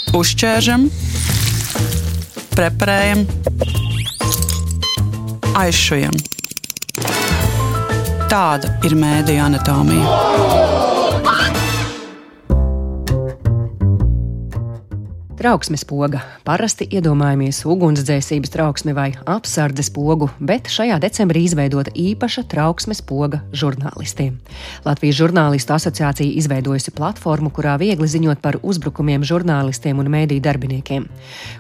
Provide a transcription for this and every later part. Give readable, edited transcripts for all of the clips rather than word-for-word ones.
Uzķēršam, preparējam, aizšujam. Tāda ir mēdīju anatomija. Trauksmes poga. Parasti iedomājamies ugunsdzēsības trauksmi vai apsardzes pogu, bet šajā decembrī izveidota īpaša trauksmes poga žurnālistiem. Latvijas žurnālistu asociācija izveidojusi platformu, kurā viegli ziņot par uzbrukumiem žurnālistiem un mēdīju darbiniekiem.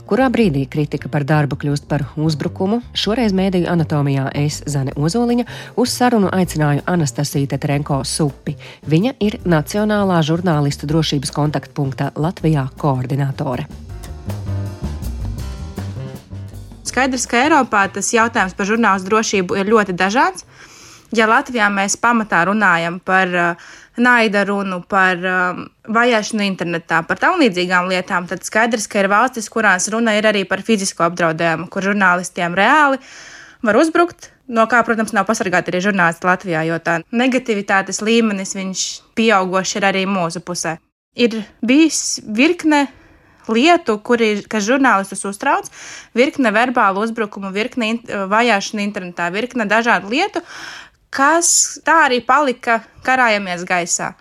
Kurā brīdī kritika par darbu kļūst par uzbrukumu, šoreiz mēdīju anatomijā es, Zane Ozoliņa, uz sarunu aicināju Anastasiju Tetrenko Supi. Viņa ir Nacionālā žurnālistu drošības kontaktpunkta Latvijā koordinātore. Skaidrs, ka Eiropā tas jautājums par žurnālistu drošību ir ļoti dažāds. Ja Latvijā mēs pamatā runājam par naida runu, par vajāšanu internetā, par tam līdzīgām lietām, tad skaidrs, ka ir valstis, kurās runa ir arī par fizisko apdraudējumu, kur žurnālistiem reāli var uzbrukt, no kā, protams, nav pasargāti arī žurnālisti Latvijā, jo tā negativitātes līmenis viņš pieaugoši ir arī mūsu pusē. Ir bijis virkne lietu, kas žurnālistus uztrauc, virkne verbālu uzbrukumu, virkne vajāšana internetā, virkne dažādu lietu, kas tā arī palika karājamies gaisā.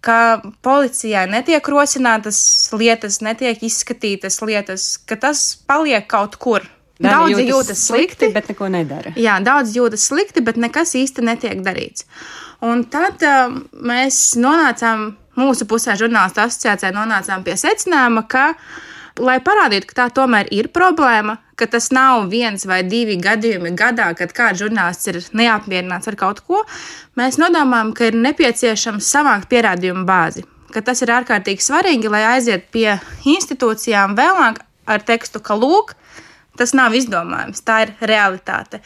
Ka policijai netiek rosinātas lietas, netiek izskatītas lietas, ka tas paliek kaut kur. Daudzi jūtas slikti, bet neko nedara. Jā, daudz jūtas slikti, bet nekas īsti netiek darīts. Un tad mēs nonācām, mūsu pusē žurnālistu asociācijā nonācām pie secinājuma, ka, lai parādītu, ka tā tomēr ir problēma, ka tas nav 1 vai 2 gadījumi gadā, kad kāds žurnālists ir neapmierināts ar kaut ko, mēs nodomājam, ka ir nepieciešams savākt pierādījumu bāzi. Ka tas ir ārkārtīgi svarīgi, lai aiziet pie institūcijām vēlāk ar tekstu, ka lūk, tas nav izdomājums, tā ir realitāte.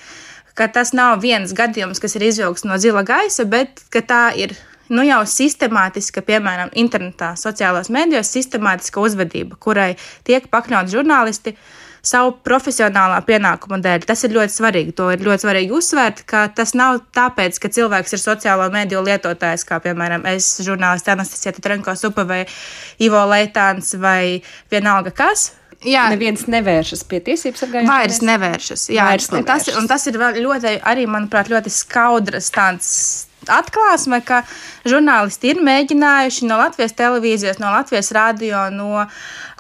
Ka tas nav viens gadījums, kas ir izvilkts no zila gaisa, bet ka tā ir jau sistemātiska, piemēram, internetā, sociālās mēdījos, sistemātiska uzvedība, kurai tiek pakļauti žurnālisti savu profesionālā pienākuma dēļ. Tas ir ļoti svarīgi. To ir ļoti svarīgi uzsvērt, ka tas nav tāpēc, ka cilvēks ir sociālo mēdīju lietotājs, kā, piemēram, es, žurnālisti Anastasija Tetrenko Supa vai Ivo Leitāns vai vienalga kas. Jā. Neviens nevēršas pie tiesības sargājušās. Vairs nevēršas. Jā, un tas ir ļoti, arī, manuprāt, ļoti skaudrs tāds atklāsme, ka žurnālisti ir mēģinājuši no Latvijas televīzijas, no Latvijas radio, no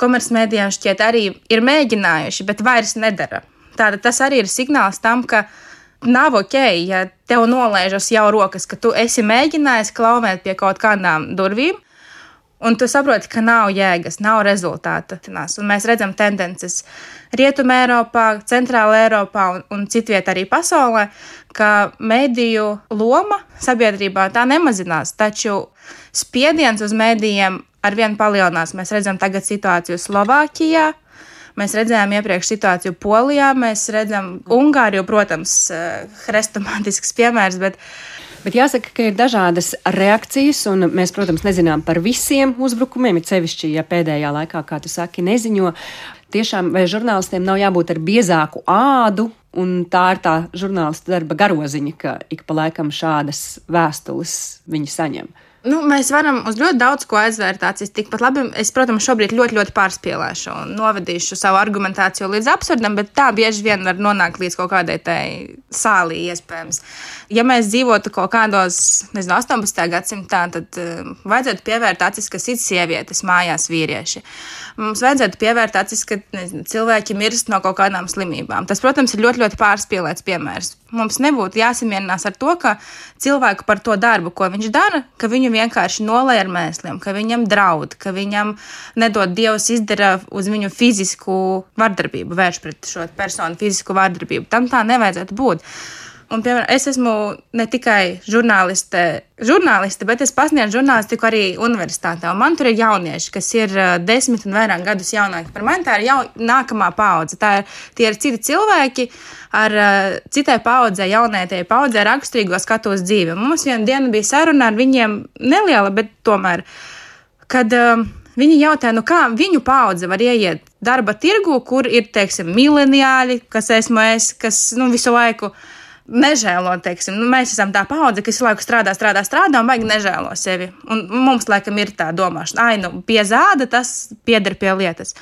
komercmedijām šķiet arī ir mēģinājuši, bet vairs nedara. Tātad tas arī ir signāls tam, ka nav ok, ja tev nolaižas jau rokas, ka tu esi mēģinājis klauvēt pie kaut kādām durvīm, un tu saproti, ka nav jēgas, nav rezultāta. Un mēs redzam tendences Rietumē Eiropā, Centrāla Eiropā un citviet arī pasaulē, ka mediju loma sabiedrībā tā nemazinās, taču spiediens uz medijiem arvien palielinās. Mēs redzam tagad situāciju Slovākijā, mēs redzējām iepriekš situāciju Polijā, mēs redzam Ungāriju, protams, hrestomātisks piemērs, Bet jāsaka, ka ir dažādas reakcijas, un mēs, protams, nezinām par visiem uzbrukumiem, it sevišķi, ja pēdējā laikā, kā tu saki, neziņo. Tiešām, vai žurnālistiem nav jābūt ar biezāku ādu, un tā ir tā žurnālista darba garoziņa, ka ik pa laikam šādas vēstules viņi saņem. Mēs varam uz ļoti daudz ko aizvērtācijas. Tikpat labi, es, protams, šobrīd ļoti pārspīlēšu un novedīšu savu argumentāciju līdz absurdam, bet tā bieži vien var nonākt līdz kaut kādai tai sālī iespējams. Ja mēs dzīvotu kaut kādos, 18. gadsimtā, tad vajadzētu pievērt acis, ka sit sievietes mājās vīrieši. Mums vajadzētu pievērt acis, ka cilvēki mirst no kaut kādām slimībām. Tas, protams, ir ļoti pārspīlēts piemērs. Mums nebūtu jāsamierinās ar to, ka cilvēku par to darbu, ko viņš dara, ka viņu vienkārši nolai ar mēsliem, ka viņam draud, ka viņam nedod Dievs izdara uz viņu fizisku vardarbību, vērš pret šo personu fizisku vardarbību. Tam tā nevajadzētu būt. Un, piemēram, es esmu ne tikai žurnāliste, bet es pasniedzu žurnālistiku arī universitātē. Un man tur ir jaunieši, kas ir 10 un vairāk gadus jaunāki par mani. Tā ir nākamā paudze. Tie ir citi cilvēki ar citai paudzei, jaunētajai paudzei raksturīgo skatu uz dzīvi. Mums vienu dienu bija saruna ar viņiem neliela, bet tomēr, kad viņi jautāja, kā viņu paudze var ieiet darba tirgu, kur ir, teiksim, mileniāļi, kas esmu es, kas visu laiku nežēlo, teiksim. Mēs esam tā paudze, kas laiku strādā un baigi nežēlo sevi. Un mums, laikam, ir tā domāšana, pie zāda tas pieder pie lietas.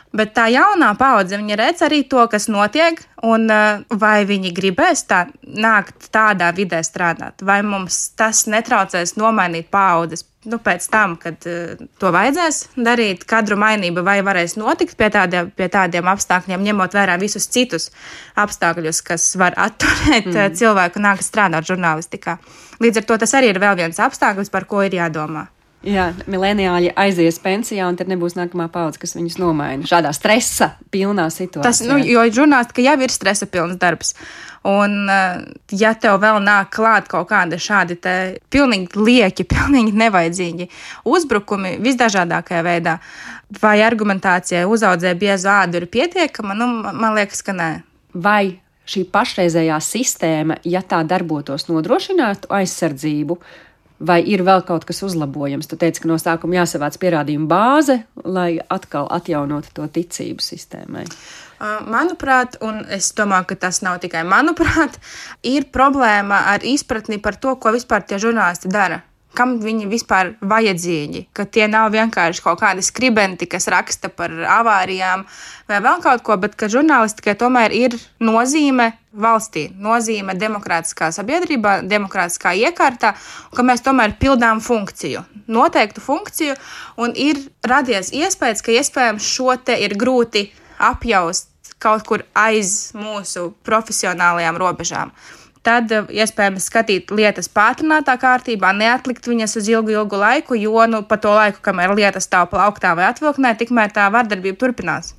Bet tā jaunā paudze, viņa redz arī to, kas notiek, un vai viņi gribēs nākt tādā vidē strādāt, vai mums tas netraucēs nomainīt paudzes. Pēc tam, kad to vajadzēs darīt, kadru mainība vai varēs notikt pie tādiem apstākļiem, ņemot vērā visus citus apstākļus, kas var atturēt cilvēku nākt strādāt žurnālistikā. Līdz ar to tas arī ir vēl viens apstākļus, par ko ir jādomā. Jā, mileniāļi aizies pensijā, un tad nebūs nākamā paudze, kas viņus nomaina šādā stresa pilnā situācijā. Jo žurnālistika jau ir stresa pilns darbs. Un, ja tev vēl nāk klāt kaut kādi šādi te pilnīgi lieki, pilnīgi nevajadzīgi uzbrukumi visdažādākajā veidā, vai argumentācijai uzaudzē biezu ādu ir pietiekama, man liekas, ka nē. Vai šī pašreizējā sistēma, ja tā darbotos, nodrošinātu aizsardzību, vai ir vēl kaut kas uzlabojams? Tu teici, ka no sākuma jāsavāc pierādījumu bāze, lai atkal atjaunotu to ticību sistēmai. Manuprāt, un es domāju, ka tas nav tikai manuprāt, ir problēma ar izpratni par to, ko vispār tie žurnālisti dara. Kam viņi vispār vajadzīgi, ka tie nav vienkārši kaut kādi skribenti, kas raksta par avārijām vai vēl kaut ko, bet ka žurnālistikai tomēr ir nozīme valstī, nozīme demokrātiskā sabiedrībā, demokrātiskā iekārtā, un ka mēs tomēr pildām funkciju, noteiktu funkciju, un ir radies iespējas, ka iespējams šo te ir grūti apjaust kaut kur aiz mūsu profesionālajām robežām. Tad iespējams skatīt lietas pātrinātā kārtībā, neatlikt viņas uz ilgu laiku, jo pa to laiku, kamēr lietas stāv plauktā vai atvilknē, tikmēr tā vardarbība turpinās.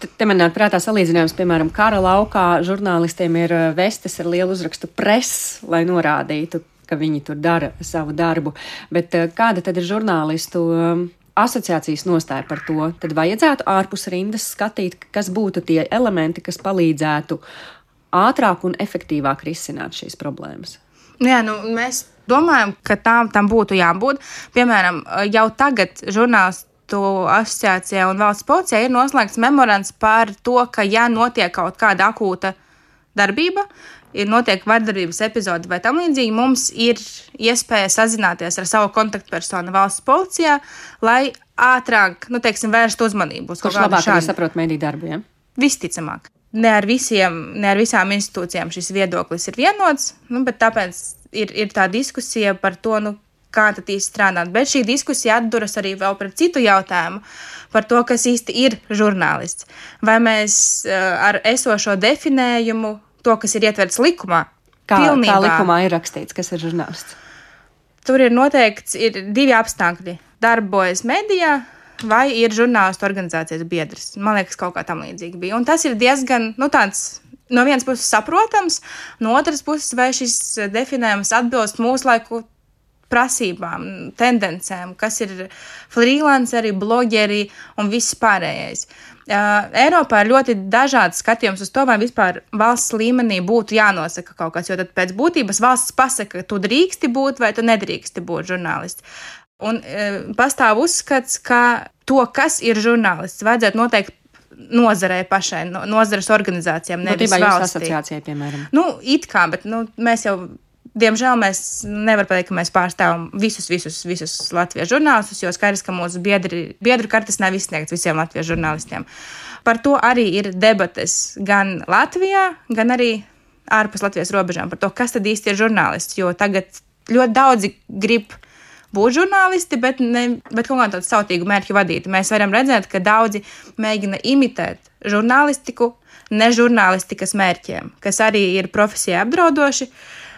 Te man nāk prātā salīdzinājums, piemēram, kara laukā žurnālistiem ir vestes ar lielu uzrakstu press, lai norādītu, ka viņi tur dara savu darbu. Bet kāda tad ir žurnālistu asociācijas nostāja par to? Tad vajadzētu ārpus rindas skatīt, kas būtu tie elementi, kas palīdzētu ātrāk un efektīvāk risināt šīs problēmas. Jā, mēs domājam, ka tam būtu jābūt. Piemēram, jau tagad žurnālistu asociācijā un valsts policijā ir noslēgts memorands par to, ka ja notiek kaut kāda akūta darbība, notiek vardarbības epizode vai tam līdzīgi, mums ir iespēja sazināties ar savu kontaktpersonu valsts policijā, lai ātrāk, vērst uzmanību uz kaut kādu šādu. Kurš labāk arī saprot mediju darbu, ja? Visticamāk. Ne ar visām institūcijām šis viedoklis ir vienots, bet tāpēc ir tā diskusija par to, kā tad īsti strādāt. Bet šī diskusija atduras arī vēl pret citu jautājumu par to, kas īsti ir žurnālists. Vai mēs ar esošo definējumu, to, kas ir ietverts likumā, kā likumā ir rakstīts, kas ir žurnālists? Tur ir noteikts, ir divi apstākļi. Darbojas medijā, vai ir žurnālistu organizācijas biedrs. Man liekas, kaut kā tam līdzīgi bija. Un tas ir diezgan, tāds no vienas puses saprotams, no otras puses, vai šis definējums atbilst mūsu laiku prasībām, tendencēm, kas ir freelanceri, blogeri un viss pārējais. Eiropā ir ļoti dažāds skatījums uz to, vai vispār valsts līmenī būtu jānosaka kaut kas, jo tad pēc būtības valsts pasaka, ka tu drīksti būt vai tu nedrīksti būt žurnālists. Un pastāv uzskats, ka to, kas ir žurnālists, vajadzētu noteikt nozarei pašai, nozares organizācijām, nevis valstī. Asociācijai, piemēram. It kā, bet mēs jau, diemžēl, mēs nevar pateikt, ka mēs pārstāvam visus latviešu žurnālistus, jo skaidrs, ka mūsu biedru kartes nav izsniegts visiem latviešu žurnālistiem. Par to arī ir debates gan Latvijā, gan arī ārpus Latvijas robežām par to, kas tad īsti ir žurnālists, jo tagad ļoti daudzi grib būt žurnālisti, bet kaut kādu tādu sautīgu mērķu vadīti. Mēs varam redzēt, ka daudzi mēģina imitēt žurnālistiku nežurnālistikas mērķiem, kas arī ir profesijai apdraudoši,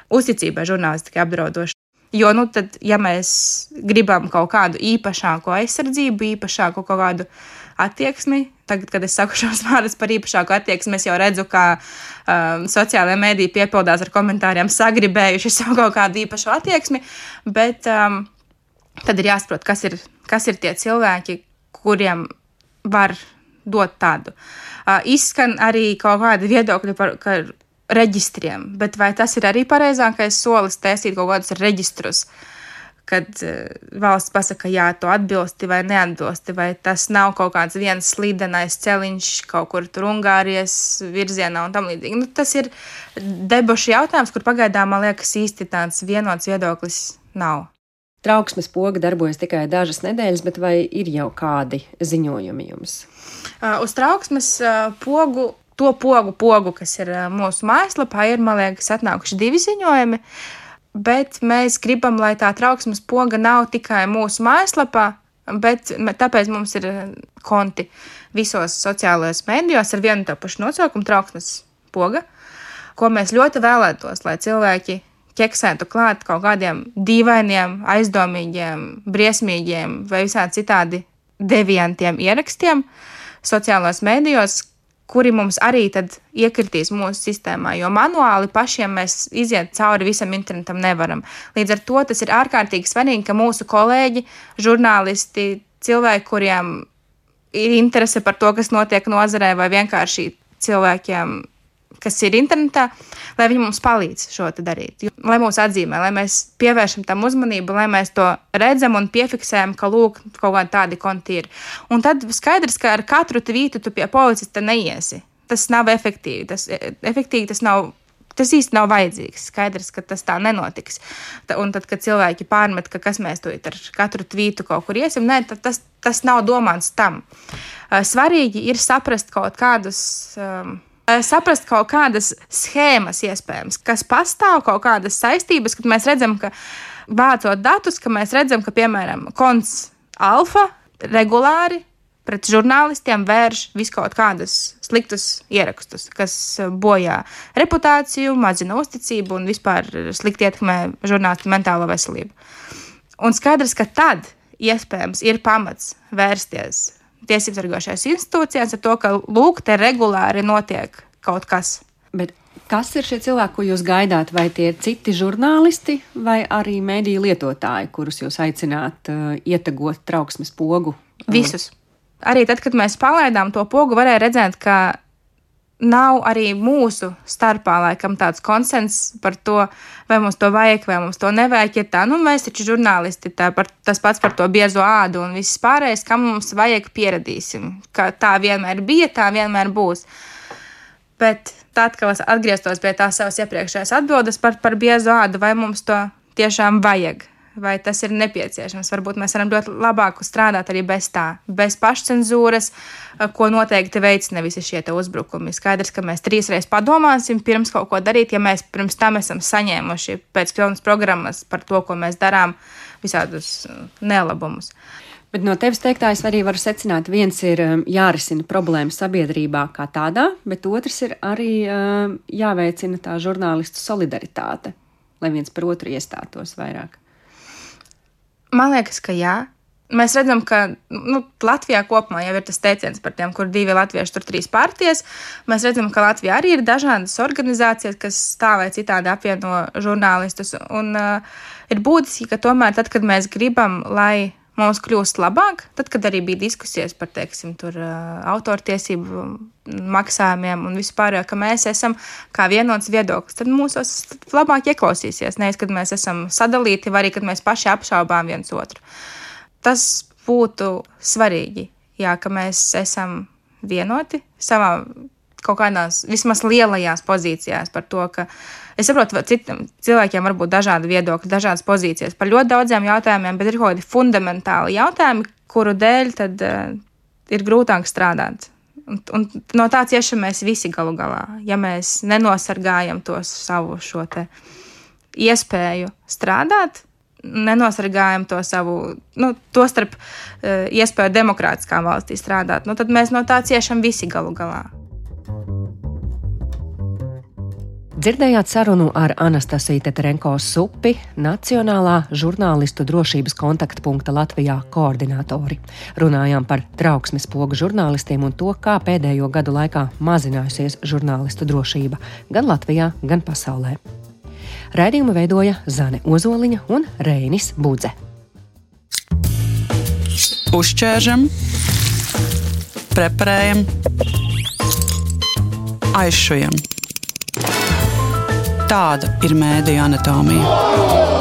uzticībai žurnālistikai apdraudoši. Jo, tad, ja mēs gribam kaut kādu īpašāko aizsardzību, īpašāku kaut kādu attieksmi, tagad, kad es saku šos vārdus par īpašāku attieksmi, es jau redzu, kā sociālajā mēdī piepildās ar komentāriem sagribējuši savu kaut kādu īpašu attieksmi, bet tad ir jāsaprot, kas ir tie cilvēki, kuriem var dot tādu. Izskan arī kaut kādi viedokļi par reģistriem, bet vai tas ir arī pareizākais solis taisīt kaut kādus reģistrus, kad valsts pasaka, jā, to atbilsti vai neatbilsti, vai tas nav kaut kāds viens slidenais celiņš kaut kur tur Ungārijas virzienā un tam līdzīgi. Tas ir debašu jautājums, kur pagaidām, man liekas, īsti tāds vienots viedoklis nav. Trauksmes poga darbojas tikai dažas nedēļas, bet vai ir jau kādi ziņojumi jums? Uz trauksmes pogu, to pogu, kas ir mūsu mājaslapā, ir, man liekas, atnākuši 2 ziņojumi. Bet mēs gribam, lai tā trauksmes poga nav tikai mūsu mājaslapā, bet tāpēc mums ir konti visos sociālajos mēdījos ar vienu tā pašu nosaukumu trauksmes poga, ko mēs ļoti vēlētos, lai cilvēki ķeksētu klāt kaut kādiem dīvainiem, aizdomīgiem, briesmīgiem vai visādi citādi deviantiem ierakstiem sociālajos mēdījos, kuri mums arī tad iekritīs mūsu sistēmā, jo manuāli pašiem mēs iziet cauri visam internetam nevaram. Līdz ar to tas ir ārkārtīgi svarīgi, ka mūsu kolēģi, žurnālisti, cilvēki, kuriem ir interese par to, kas notiek nozarē, vai vienkārši cilvēkiem, kas ir internetā, lai viņi mums palīdz šo te darīt. Lai mūs atzīmē, lai mēs pievēršam tam uzmanību, lai mēs to redzam un piefiksējam, ka lūk, kaut kādi tādi konti ir. Un tad skaidrs, ka ar katru tvītu tu pie policista neiesi. Tas nav efektīvi. Tas īsti nav vajadzīgs. Skaidrs, ka tas tā nenotiks. Un tad, kad cilvēki pārmet, ka kas mēs to ar katru tvītu kaut kur iesim, nē, tas nav domāts tam. Svarīgi ir saprast kaut kādas schēmas iespējams, kas pastāv, kaut kādas saistības, kad mēs redzam, ka vācot datus, ka mēs redzam, ka, piemēram, konts Alfa regulāri pret žurnālistiem vērš viskaut kādas sliktus ierakstus, kas bojā reputāciju, mazina uzticību un vispār slikti ietekmē žurnālistu mentālo veselību. Un skaidrs, ka tad iespējams ir pamats vērsties tiesības sargājošajās institūcijās ar to, ka lūk, te regulāri notiek kaut kas. Bet kas ir šie cilvēki, ko jūs gaidāt? Vai tie ir citi žurnālisti vai arī mediju lietotāji, kurus jūs aicināt ietegot trauksmes pogu? Visus. Arī tad, kad mēs palaidām to pogu, varēja redzēt, ka nav arī mūsu starpā laikam tāds konsens par to, vai mums to vajag, vai mums to nevajag. Ir tā, mēs taču žurnālisti, tas pats par to biezo ādu un viss pārējais, kam mums vajag pieradīsim. Ka tā vienmēr bija, tā vienmēr būs. Bet tad, kad atgrieztos pie tās savas iepriekšējās atbildes par biezo ādu, vai mums to tiešām vajag, vai tas ir nepieciešams. Varbūt mēs varam ļoti labāk strādāt arī bez tā, bez pašcenzūras, ko noteikti veicina visi šie te uzbrukumi. Skaidrs, ka mēs 3 reizes padomāsim pirms kaut ko darīt, ja mēs pirms tam esam saņēmuši pēc pilnas programmas par to, ko mēs darām, visādus nelabumus. Bet no tevis teiktā es arī varu secināt, viens ir jārisina problēma sabiedrībā kā tādā, bet otrs ir arī jāveicina tā žurnālistu solidaritāte, lai viens par otru iestātos vairāk. Man liekas, ka jā. Mēs redzam, ka Latvijā kopumā jau ir tas teiciens par tiem, kur 2 latvieši, tur 3 partijas. Mēs redzam, ka Latvijā arī ir dažādas organizācijas, kas tā vai citādi apvieno žurnālistus. Un ir būtiski, ka tomēr tad, kad mēs gribam, lai mums kļūst labāk, tad, kad arī bija diskusijas par, teiksim, autortiesību maksājumiem un vispār, ka mēs esam kā vienots viedoklis, tad mūsos labāk ieklausīsies, nevis, kad mēs esam sadalīti, vai arī, kad mēs paši apšaubām viens otru. Tas būtu svarīgi, jā, ka mēs esam vienoti savā kaut kādās vismaz lielajās pozīcijās par to, ka es saprotu, citiem cilvēkiem var būt dažādi viedokļi, dažādas pozīcijas par ļoti daudziem jautājumiem, bet ir kaut kādi fundamentāli jautājumi, kuru dēļ tad ir grūtāk strādāt. Un no tā ciešam mēs visi galu galā, ja mēs nenosargājam to savu šo te iespēju strādāt, nenosargājam to savu, to starp iespēju demokrātiskā valstī strādāt, tad mēs no tā ciešam visi galu galā. Dzirdējāt sarunu ar Anastasiju Teterenko-Supi, Nacionālā žurnālistu drošības kontaktpunkta Latvijā koordinātori. Runājām par trauksmes pogu žurnālistiem un to, kā pēdējo gadu laikā mazinājusies žurnālistu drošība gan Latvijā, gan pasaulē. Raidījumu veidoja Zane Ozoliņa un Reinis Budze. Uzķēršam, preparējam, aizšujam. Tāda ir mēdīju anatomija.